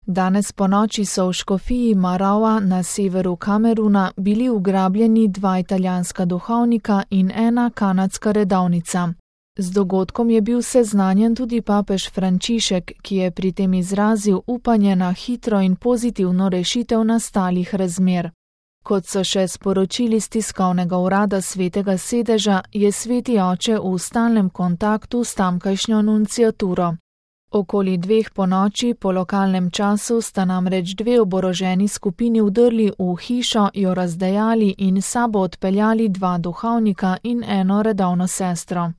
Danes ponoči so v škofiji Marawa na severu Kameruna bili ugrabljeni 2 italijanska duhovnika in 1 kanadska redovnica. Z dogodkom je bil seznanjen tudi papež Frančišek, ki je pri tem izrazil upanje na hitro in pozitivno rešitev nastalih razmer. Kot so še sporočili z tiskovnega urada Svetega sedeža, je Sveti oče v stalnem kontaktu s tamkajšnjo nunciaturo. Okoli 2 ponoči po lokalnem času sta namreč 2 oboroženi skupini vdrli v hišo, jo razdejali in s sabo odpeljali 2 duhovnika in 1 redovno sestro.